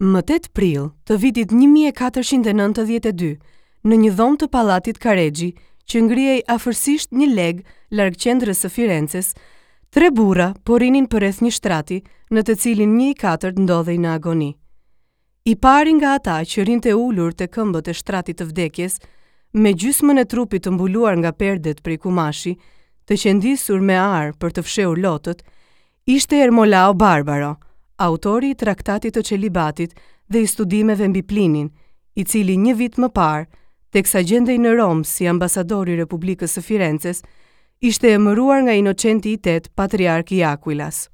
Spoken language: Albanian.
Më 8 prill të vitit 1492, në një dhomë të pallatit Karexhi, që ngrihej afërsisht një legë larg qendrës së Firences, tre burra po rrinin përreth një shtrati në të cilin një i katërt ndodhej në agoni. I pari nga ata që rrinte ulur te këmbët e shtratit të vdekjes, me gjysmën e trupit të mbuluar nga perdet prej kumashi, të qendisur me ar për të fshehur lotët, ishte Ermolao Barbaro, autori i Traktatit të Çelibatit dhe i studimeve mbi Plinin, i cili një vit më parë, teksa gjendej në Romë si ambasador i Republikës së Firences, ishte emëruar nga Inocenti i Tetë patriark i Aquilas.